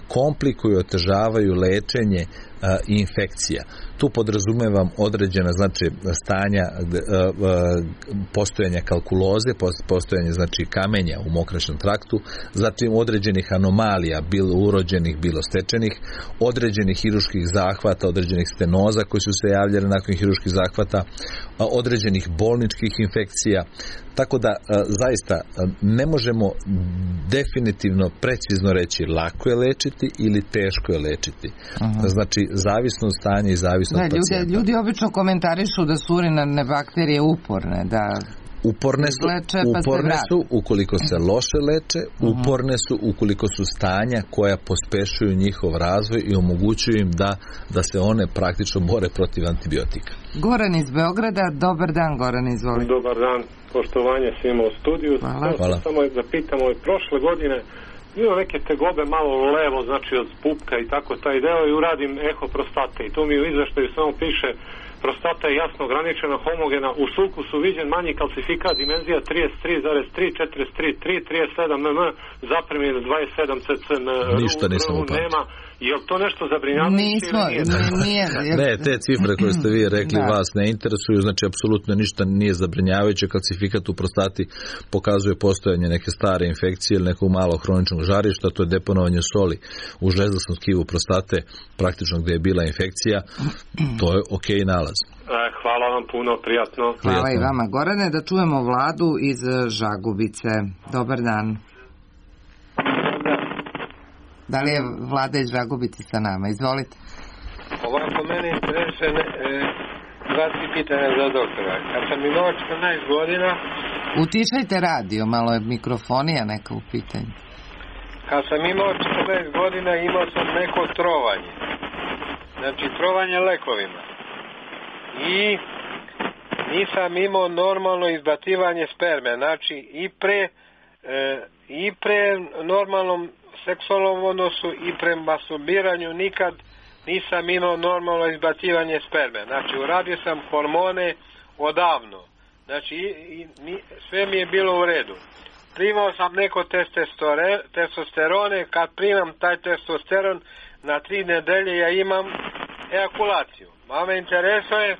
Speaker 2: komplikuju i otežavaju lečenje infekcija. Tu podrazumevam određena stanja postojanja kalkuloze, postojanje kamenja u mokraćnom traktu, zatim određenih anomalija, bilo urođenih, bilo stečenih, određenih hiruških zahvata, određenih stenoza koji su se javljali nakon hiruških zahvata, određenih bolničkih infekcija. Tako da zaista ne možemo definitivno precizno reći lako je lečiti ili teško je lečiti. Zavisno od stanja i zavisno od pacijenta.
Speaker 1: Ljudi obično komentarišu da su urinarne bakterije uporne, da
Speaker 2: uporne su ukoliko se loše leče, uporne su ukoliko su stanja koja pospešuju njihov razvoj i omogućuju im da se one praktično bore protiv antibiotika.
Speaker 1: Goran iz Beograda, dobar dan Goran, izvolite.
Speaker 16: Dobar dan, poštovanje svima u studiju.
Speaker 2: Hvala.
Speaker 16: Samo da pitam, prošle godine imam neke tegobe malo levo, od pupka i tako taj deo i uradim eho prostate i to mi u izveštaju samo piše prostata je jasno ograničena, homogena, u sulku su viđen manji kalcifikat, dimenzija 33,3, 43, 37 mm, zapremljen 27 cc.
Speaker 2: Ništa nisam upamtio.
Speaker 16: Je li to nešto zabrinjavajuće?
Speaker 2: Ne, te cifre koje ste vi rekli vas ne interesuju, apsolutno ništa nije zabrinjavajuće. Kalcifikat u prostati pokazuje postojanje neke stare infekcije ili nekog malog hroničnog žarišta, to je deponovanje soli u žlezdasnom tkivu prostate, praktično gdje je bila infekcija, to je okej nalaz.
Speaker 16: Hvala vam puno, prijatno.
Speaker 1: Hvala i vama. Gorane, da čujemo Vladu iz Žagubice. Dobar dan. Da li je Vlada iz Žagubice sa nama? Izvolite.
Speaker 17: Ovako, mene interesuje dva pitanja za doktora. Kad sam imao 14 godina...
Speaker 1: Utišajte radio, malo je mikrofonija neka u pitanju.
Speaker 17: Kad sam imao 14 godina imao sam neko trovanje. Znači, trovanje lekovima. I nisam imao normalno izbacivanje sperme. Znači, i pre normalnom seksualnom odnosu i pre masturbiranju nikad nisam imao normalno izbacivanje sperme. Znači, uradio sam hormone odavno. Znači, sve mi je bilo u redu. Primao sam neko testosterone, kad primam taj testosteron, na 3 nedelje ja imam ejakulaciju. A me interesuje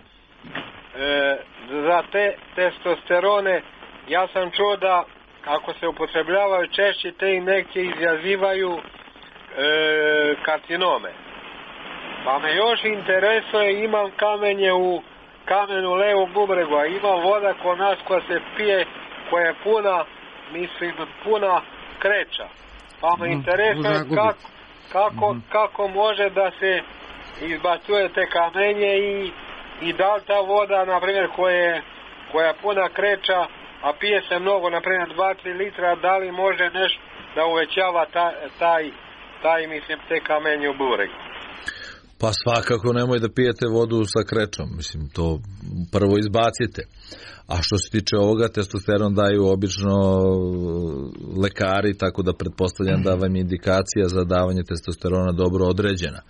Speaker 17: za te testosterone, ja sam čuo da ako se upotrebljavaju češće, te injekcije izazivaju karcinome. Pa me još interesuje, imam kamenje u kamenu levog bubregu, a ima voda kod nas koja se pije, koja je puna kreća. Pa me interesuje kako može da se izbacuje te kamenje i da li ta voda, na primjer, koja je puna kreća, a pije se mnogo, na primjer 2-3 litra, da li može nešto da uvećava te kamenje u bubregu?
Speaker 2: Pa svakako nemoj da pijete vodu sa krećom, mislim, to prvo izbacite. A što se tiče ovoga, testosteron daju obično lekari, tako da pretpostavljam da vam je indikacija za davanje testosterona dobro određena.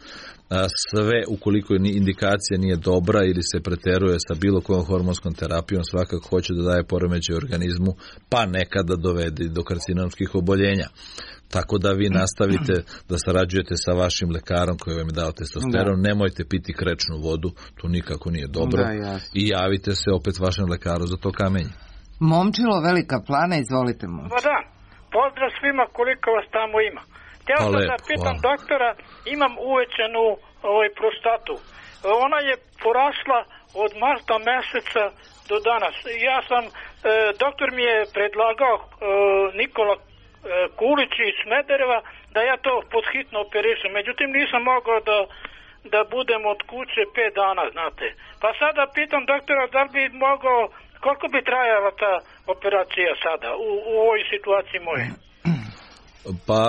Speaker 2: Sve, ukoliko indikacija nije dobra ili se preteruje sa bilo kojom hormonskom terapijom, svakako hoće da daje poremećaj organizmu, pa nekada dovede do karcinomskih oboljenja. Tako da vi nastavite da sarađujete sa vašim lekarom koji vam je dao testosteron, nemojte piti krečnu vodu, to nikako nije dobro, i javite se opet vašem lekaru za to kamenje.
Speaker 1: Momčilo, Velika Plana, izvolite mu.
Speaker 3: Da, pozdrav svima koliko vas tamo ima. Htio sam da pitam doktora, imam uvećanu prostatu. Ona je porasla od marta meseca do danas. Ja sam, doktor mi je predlagao, Nikola Kulić iz Smedereva, da ja to podhitno operišem. Međutim, nisam mogao da budem od kuće 5 dana, znate. Pa sada pitam doktora da li bi mogao, koliko bi trajala ta operacija sada u ovoj situaciji moje?
Speaker 2: Pa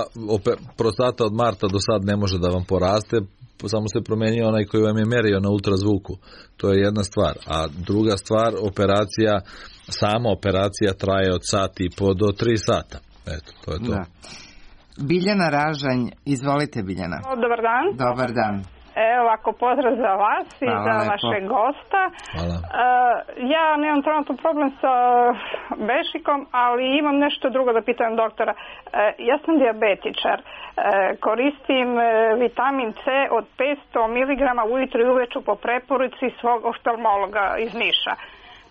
Speaker 2: prostata od marta do sad ne može da vam poraste, samo se promenio onaj koji vam je merio na ultrazvuku. To je jedna stvar. A druga stvar, sama operacija traje od sati i po do 3 sata. Eto, to je to. Da.
Speaker 1: Biljana Ražanj, izvolite Biljana.
Speaker 18: Dobar dan.
Speaker 1: Dobar dan.
Speaker 18: Evo ovako, pozdrav za vas i za vašeg gosta.
Speaker 2: Hvala.
Speaker 18: Ja nemam trenutno problem sa bešikom, ali imam nešto drugo da pitam doktora. Ja sam dijabetičar. Koristim vitamin C od 500 mg ujutro i uveče po preporuci svog oftalmologa iz Niša.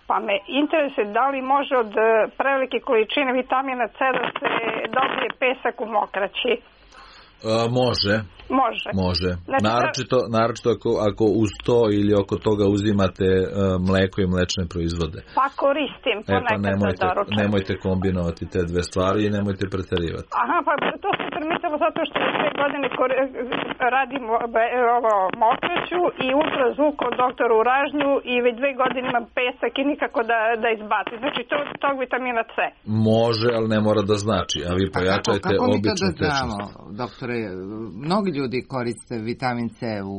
Speaker 18: Pa me interesuje da li može od prevelike količine vitamina C da se dobije pesak u mokraći.
Speaker 2: Može. Znači, naročito ako uz to ili oko toga uzimate mleko i mlečne proizvode.
Speaker 18: Pa koristim ponekad za doručak.
Speaker 2: Nemojte kombinovati te dve stvari i nemojte preterivati.
Speaker 18: Aha, pa to sam primetila zato što 2 godine radim mokraću i ultrazvuk od doktora u Ražnju i već 2 godine imam pesak i nikako da izbaci. Znači to od tog vitamina C.
Speaker 2: Može, ali ne mora da znači. A vi pojačajte običnu tečnost.
Speaker 1: Doktore, mnogi ljudi koriste vitamin C u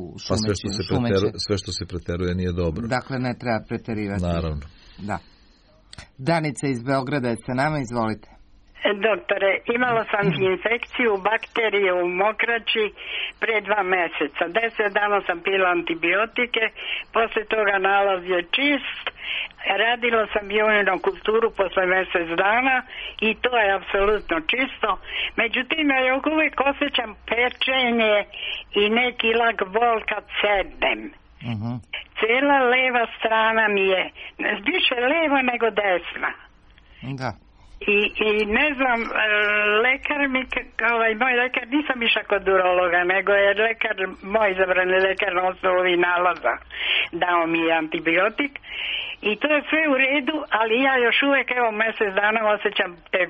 Speaker 1: šumeći.
Speaker 2: Sve što se preteruje nije dobro.
Speaker 1: Dakle, ne treba preterivati.
Speaker 2: Naravno.
Speaker 1: Da. Danica iz Beograda je sa nama, izvolite.
Speaker 19: Doktore, imala sam infekciju bakterije u mokraći pre 2 meseca. 10 dana sam pila antibiotike, posle toga nalaz je čist. Radila sam biokulturu posle mjesec dana i to je apsolutno čisto. Međutim, ja još uvijek osjećam pečenje i neki lak bol kad sednem. Cijela leva strana mi je više leva nego desna.
Speaker 1: Da.
Speaker 19: I ne znam, lekar mi, moj lekar, nisam išla kod urologa, nego je lekar, moj izabrani lekar na osnovu ovih nalaza dao mi antibiotik i to je sve u redu, ali ja još uvek, evo, mjesec dana osjećam te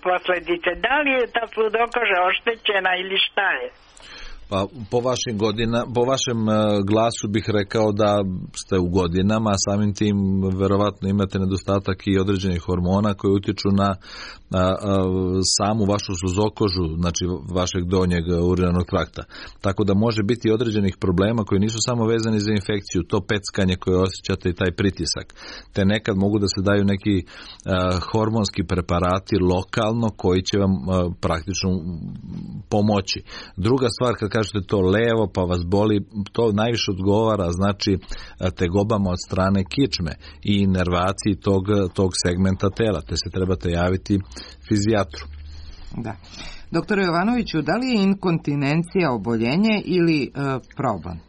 Speaker 19: posljedice. Da li je ta sludokoža oštećena ili šta je?
Speaker 2: Pa po vašem glasu bih rekao da ste u godinama, a samim tim verovatno imate nedostatak i određenih hormona koji utiču na samu vašu sluzokožu, znači vašeg donjeg urinarnog trakta. Tako da može biti određenih problema koji nisu samo vezani za infekciju, to peckanje koje osjećate i taj pritisak. Te nekad mogu da se daju neki hormonski preparati lokalno koji će vam praktično pomoći. Druga stvar, kad kažete to levo pa vas boli, to najviše odgovara znači tegobama od strane kičme i inervaciji tog segmenta tela, te se trebate javiti fizijatru.
Speaker 1: Da. Doktore Jovanoviću, da li je inkontinencija oboljenje ili problem?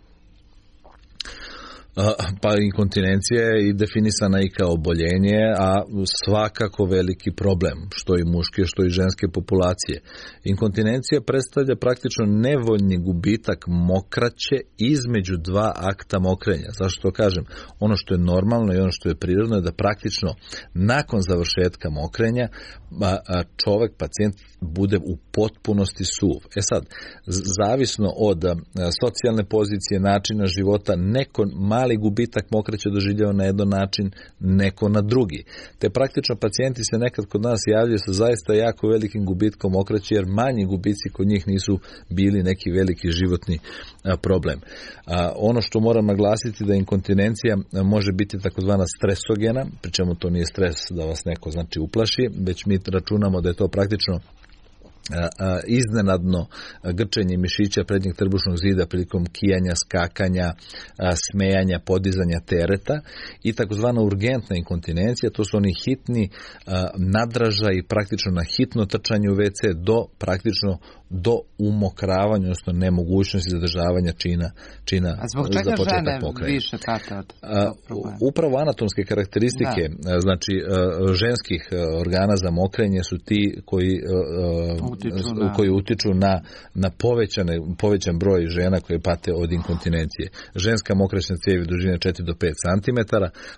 Speaker 2: Pa inkontinencija je i definisana i kao oboljenje, a svakako veliki problem, što i muške, što i ženske populacije. Inkontinencija predstavlja praktično nevoljni gubitak mokraće između dva akta mokrenja. Zašto to kažem? Ono što je normalno i ono što je prirodno je da praktično nakon završetka mokrenja čovjek, pacijent, bude u potpunosti suv. Sad, zavisno od socijalne pozicije, načina života, neko mali gubitak mokraće doživljava na jedan način, neko na drugi. Te praktično pacijenti se nekad kod nas javljaju sa zaista jako velikim gubitkom mokraće, jer manji gubici kod njih nisu bili neki veliki životni problem. Ono što moram naglasiti da inkontinencija može biti takozvana stresogena, pri čemu to nije stres da vas neko znači uplaši, već mi računamo da je to praktično iznenadno grčenje mišića prednjeg trbušnog zida prilikom kijanja, skakanja, smejanja, podizanja tereta i takozvana urgentna inkontinencija, to su oni hitni nadražaj i praktično na hitno trčanje u WC do umokravanja, odnosno nemogućnosti zadržavanja čina
Speaker 1: a zbog čega
Speaker 2: za početak
Speaker 1: žene
Speaker 2: pokraja.
Speaker 1: Više pate od problema?
Speaker 2: Upravo anatomske karakteristike znači ženskih organa za mokrenje su ti koji utiču na povećan broj žena koje pate od inkontinencije. Ženska mokraćna cijev dužine 4 do 5 cm,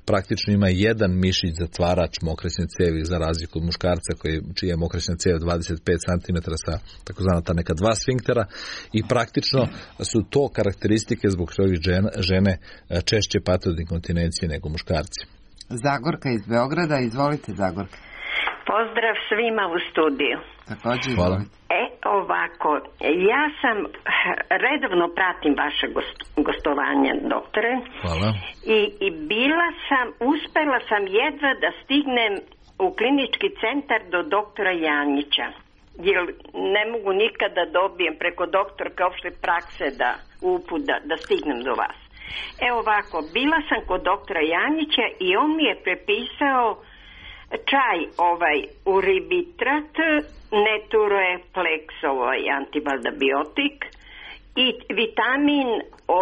Speaker 2: praktično ima jedan mišić zatvarač mokraćne cijevi za razliku od muškarca čija je mokraćna cijev 25 cm sa takozvana ta neka dva sfinktera i praktično su to karakteristike zbog kojih žene češće pate od inkontinencije nego muškarci.
Speaker 1: Zagorka iz Beograda, izvolite Zagorka.
Speaker 20: Pozdrav svima u studiju.
Speaker 1: Također,
Speaker 2: hvala.
Speaker 20: Ovako, ja sam redovno pratim vaše gostovanje, doktore.
Speaker 2: Hvala.
Speaker 20: I uspela sam jedva da stignem u klinički centar do doktora Janjića. Jer ne mogu nikada dobijem preko doktorka opšte prakse da stignem do vas. Ovako, bila sam kod doktora Janjića i on mi je prepisao čaj uribitrat, Netureplex, antibaldabiotik i vitamin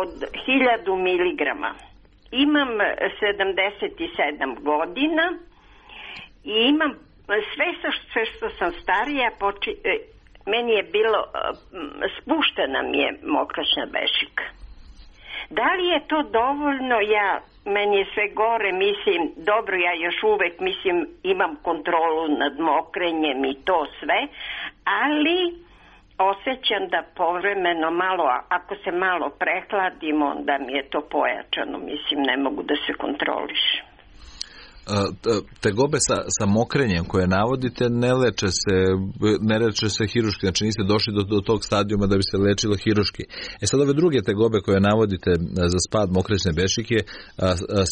Speaker 20: od 1000 miligrama. Imam 77 godina i imam sve što sam starija, meni je bilo, spuštena mi je mokraćna bešika. Da li je to dovoljno? Meni je sve gore, mislim, dobro, ja još uvek, mislim, imam kontrolu nad mokrenjem i to sve, ali osjećam da povremeno malo, ako se malo prehladim, onda mi je to pojačano, mislim, ne mogu da se kontrolišem.
Speaker 2: Tegobe sa mokrenjem koje navodite ne leče se hiruški, znači niste došli do tog stadijuma da bi se lečilo hiruški. Sad ove druge tegobe koje navodite za spad mokraćne bešike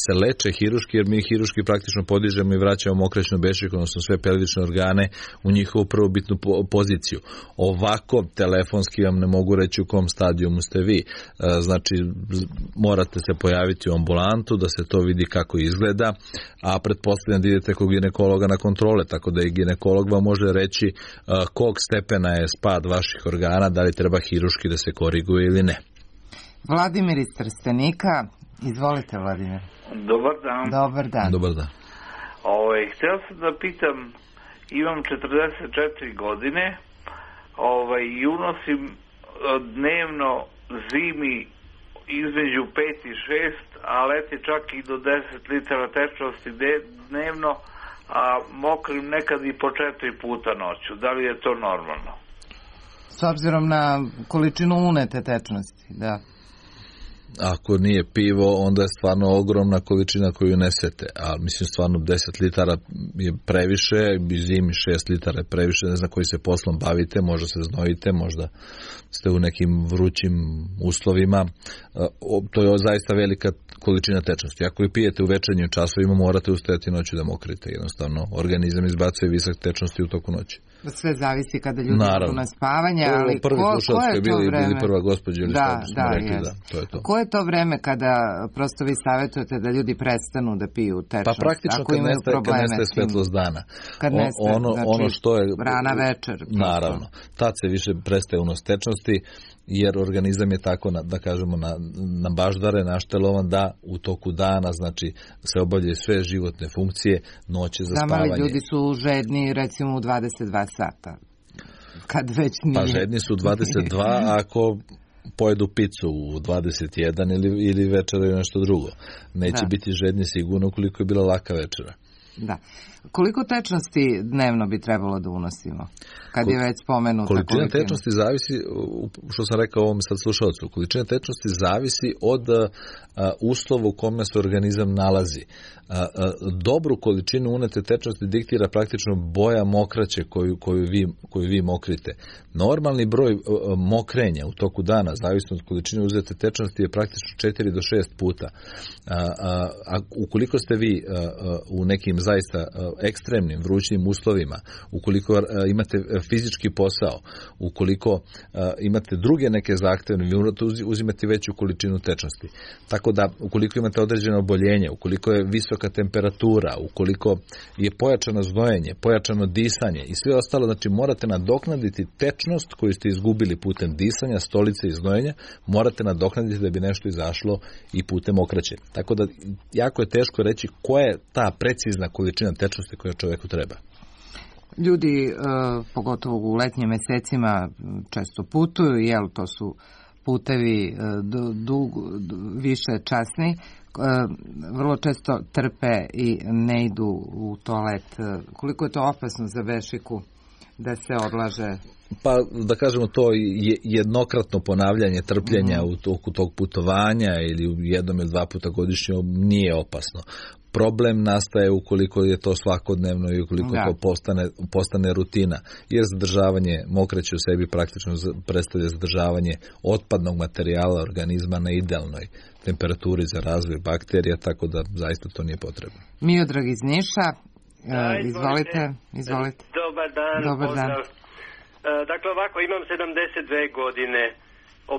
Speaker 2: se leče hiruški, jer mi hiruški praktično podižemo i vraćamo mokraćnu bešiku, odnosno sve pelvične organe u njihovu prvobitnu poziciju. Ovako telefonski vam ne mogu reći u kom stadijumu ste vi. Znači morate se pojaviti u ambulantu da se to vidi kako izgleda, a pretpostavljam da idete kod ginekologa na kontrole, tako da i ginekolog vam može reći kog stepena je spad vaših organa, da li treba hiruški da se koriguje ili ne.
Speaker 1: Vladimir iz Trstenika, izvolite Vladimir.
Speaker 21: Dobar dan.
Speaker 1: Dobar dan.
Speaker 2: Dobar dan.
Speaker 21: Htio sam da pitam, imam 44 godine i unosim dnevno zimi između 5 i 6, a leti čak i do 10 litara tečnosti dnevno, a mokrim nekad i po 4 puta noću. Da li je to normalno?
Speaker 1: S obzirom na količinu unete tečnosti, da.
Speaker 2: Ako nije pivo, onda je stvarno ogromna količina koju nesete, a mislim stvarno 10 litara je previše, zimi 6 litara je previše, ne znam koji se poslom bavite, možda se znojite, možda ste u nekim vrućim uslovima, to je zaista velika količina tečnosti. Ako je pijete u večernjim časovima, morate ustajati noću da mokrite, jednostavno organizam izbacuje visak tečnosti u toku noći.
Speaker 1: Sve zavisi kada ljudi idu na spavanje, ali
Speaker 2: prvi slušalac koji je bili prva gospođa ili što smo rekli, to je to.
Speaker 1: Koje je to vreme kada prosto vi savjetujete da ljudi prestanu da piju tečnost?
Speaker 2: Pa praktično kad nestaje svetlost dana.
Speaker 1: Kad nestaje,
Speaker 2: ono što je
Speaker 1: rana večer.
Speaker 2: Naravno, tad se više prestaje unos tečnosti, jer organizam je tako, da kažemo, na baždare naštelovan da u toku dana, znači, se obavljaju sve životne funkcije, noće za spavanje.
Speaker 1: Ali ljudi su žedni, recimo, u 22 sata. Kad već nije.
Speaker 2: Pa žedni su u 22, ako pojedu picu u 21 ili večeraju nešto drugo. Neće biti žedni sigurno ukoliko je bila laka večera.
Speaker 1: Da. Koliko tečnosti dnevno bi trebalo da unosimo? Kad je već spomenuta
Speaker 2: količina tečnosti zavisi, što sam rekao ovom sad slušalcu, količina tečnosti zavisi od uslova u kome se organizam nalazi. Dobru količinu unete tečnosti diktira praktično boja mokraće koju vi mokrite. Normalni broj mokrenja u toku dana, zavisno od količine uzete tečnosti, je praktično 4 do 6 puta. A ukoliko ste vi u nekim zaista ekstremnim vrućnim uslovima, ukoliko imate fizički posao, ukoliko imate druge neke zahtevne, vi morate uzimati veću količinu tečnosti. Tako da, ukoliko imate određeno oboljenje, ukoliko je visoka temperatura, ukoliko je pojačano znojenje, pojačano disanje i sve ostalo, znači morate nadoknaditi tečnost koju ste izgubili putem disanja, stolice i znojenja, morate nadoknaditi da bi nešto izašlo i putem okraće. Tako da, jako je teško reći koja je ta precizna količina tečnosti koja čoveku treba.
Speaker 1: Ljudi, pogotovo u letnjim mesecima, često putuju, jel, to su putevi više časni, vrlo često trpe i ne idu u toalet. Koliko je to opasno za bešiku da se odlaže?
Speaker 2: Pa da kažemo, to jednokratno ponavljanje trpljenja u toku tog putovanja ili jednom ili dva puta godišnje nije opasno. Problem nastaje ukoliko je to svakodnevno i ukoliko to postane rutina, jer zadržavanje mokraće u sebi praktično predstavlja zadržavanje otpadnog materijala organizma na idealnoj temperaturi za razvoj bakterija, tako da zaista to nije potrebno.
Speaker 1: Miodrag iz Niša, izvolite.
Speaker 22: Dobar dan. Dakle, ovako, imam 72 godine.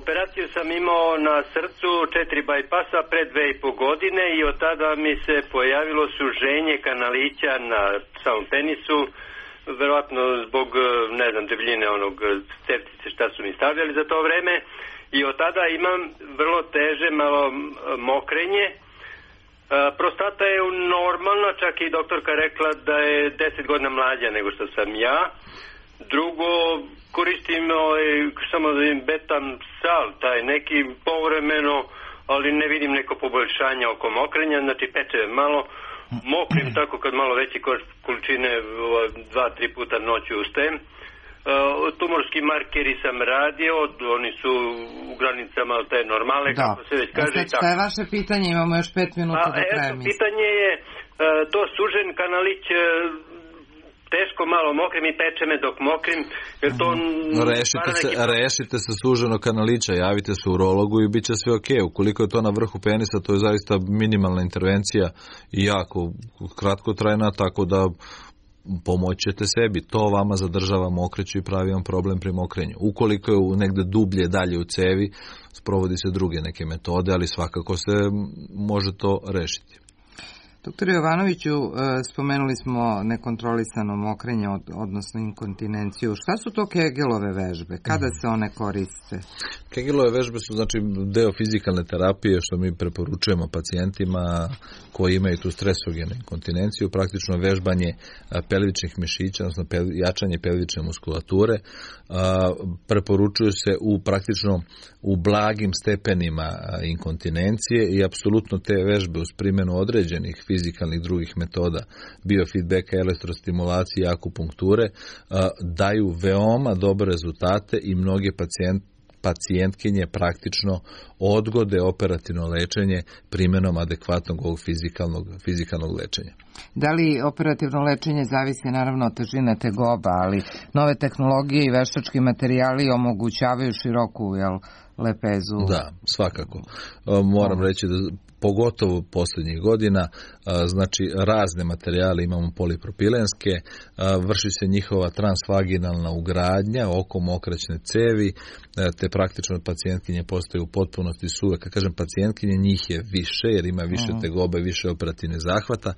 Speaker 22: Operaciju sam imao na srcu, 4 bajpasa pre 2,5 godine i od tada mi se pojavilo suženje kanalića na samom penisu, verovatno zbog, ne znam, debljine onog ceptice šta su mi stavljali za to vreme, i od tada imam vrlo teže malo mokrenje. Prostata je normalna, čak i doktorka rekla da je 10 godina mlađa nego što sam ja. Drugo, koristim samo betam sal, taj neki povremeno, ali ne vidim neko poboljšanje oko mokrenja, znači peče malo, mokrim tako kad malo veći količine 2-3 puta noću ustajem. Tumorski markeri sam radio, oni su u granicama te normale, kako se već kaže.
Speaker 1: Šta je vaše pitanje? Imamo još 5 minuta do kraja.
Speaker 22: Pitanje je, to sužen kanalić, teško malo mokrim i peče me dok mokrim.
Speaker 2: Rešite se suženog kanalića, javite se urologu i bit će sve ok. Ukoliko je to na vrhu penisa, to je zaista minimalna intervencija i jako kratkotrajna, tako da pomoćete sebi. To vama zadržava mokreću i pravi vam problem pri mokrenju. Ukoliko je negde dublje dalje u cevi, sprovodi se druge neke metode, ali svakako se može to rešiti.
Speaker 1: Doktor Jovanoviću, spomenuli smo nekontrolisano mokrenje, odnosno inkontinenciju. Šta su to Kegelove vežbe? Kada se one koriste?
Speaker 2: Kegelove vežbe su znači deo fizikalne terapije što mi preporučujemo pacijentima koji imaju tu stresogenu inkontinenciju, praktično vežbanje pelvičnih mišića, odnosno jačanje pelvične muskulature. Preporučuju se u blagim stepenima inkontinencije i apsolutno te vežbe uz primjenu određenih fizikalnih drugih metoda, biofeedbacka, elektrostimulacije i akupunkture daju veoma dobre rezultate i mnoge pacijentkinje praktično odgode operativno lečenje primjenom adekvatnog ovog fizikalnog lečenja.
Speaker 1: Da li operativno lečenje zavisi naravno od težine tegoba, ali nove tehnologije i veštački materijali omogućavaju široku lepezu?
Speaker 2: Da, svakako. Moram reći da pogotovo posljednjih godina, znači razne materijale imamo polipropilenske, vrši se njihova transvaginalna ugradnja oko mokraćne cevi, te praktično pacijentkinje postaju u potpunosti suve. Kad kažem pacijentkinje, njih je više, jer ima više tegobe, više operativne zahvata.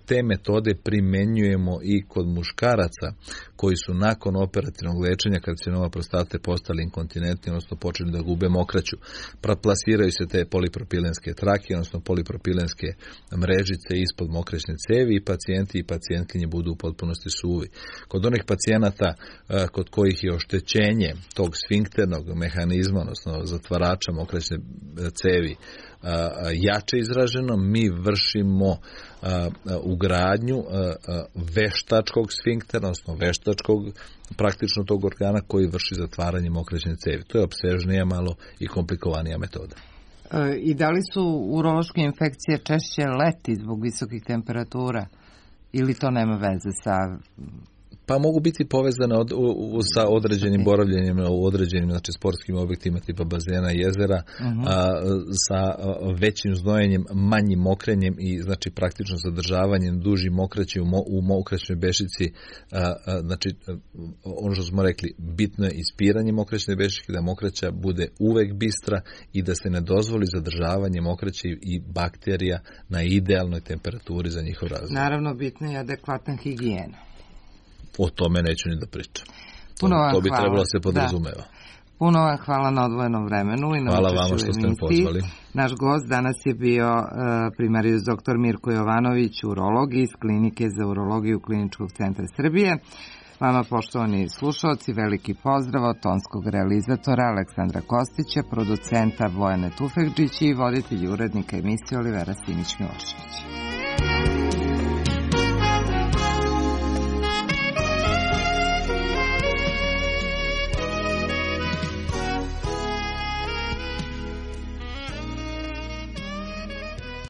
Speaker 2: Te metode primenjujemo i kod muškaraca koji su nakon operativnog lečenja karcinoma prostate postali inkontinentni, odnosno počeli da gube mokraću. Plasiraju se te polipropilenske trake, odnosno polipropilenske mrežice ispod mokraćne cevi i pacijenti i pacijentkinje budu u potpunosti suvi. Kod onih pacijenata kod kojih je oštećenje tog sfinkternog mehanizma, odnosno zatvarača mokraćne cevi, jače izraženo, mi vršimo ugradnju veštačkog sfinktera, odnosno veštačkog praktično tog organa koji vrši zatvaranje mokraćne cevi. To je opsežnija malo i komplikovanija metoda.
Speaker 1: I da li su urološke infekcije češće leti zbog visokih temperatura ili to nema veze sa...
Speaker 2: Pa mogu biti povezane sa određenim boravljenjem u određenim sportskim objektima tipa bazena, jezera, sa većim znojenjem, manjim mokrenjem i znači praktično zadržavanjem dužim mokraći u mokraćnoj bešici. Znači ono što smo rekli, bitno je ispiranje mokraćne bešice, da mokraća bude uvek bistra i da se ne dozvoli zadržavanje mokraće i bakterija na idealnoj temperaturi za njihov razvoj.
Speaker 1: Naravno, bitna je adekvatna higijena.
Speaker 2: O tome neću ni da pričam. To bi trebalo se podrazumeva.
Speaker 1: Puno vam hvala na odvojenom vremenu. I
Speaker 2: hvala vama što ste me pozvali.
Speaker 1: Naš gost danas je bio primarijus dr. Mirko Jovanović, urolog iz Klinike za urologiju Kliničkog centra Srbije. Vama, poštovani slušalci, veliki pozdrav od tonskog realizatora Aleksandra Kostića, producenta Bojane Tufekđić i voditelj urednika emisije Olivera Simić-Milošević.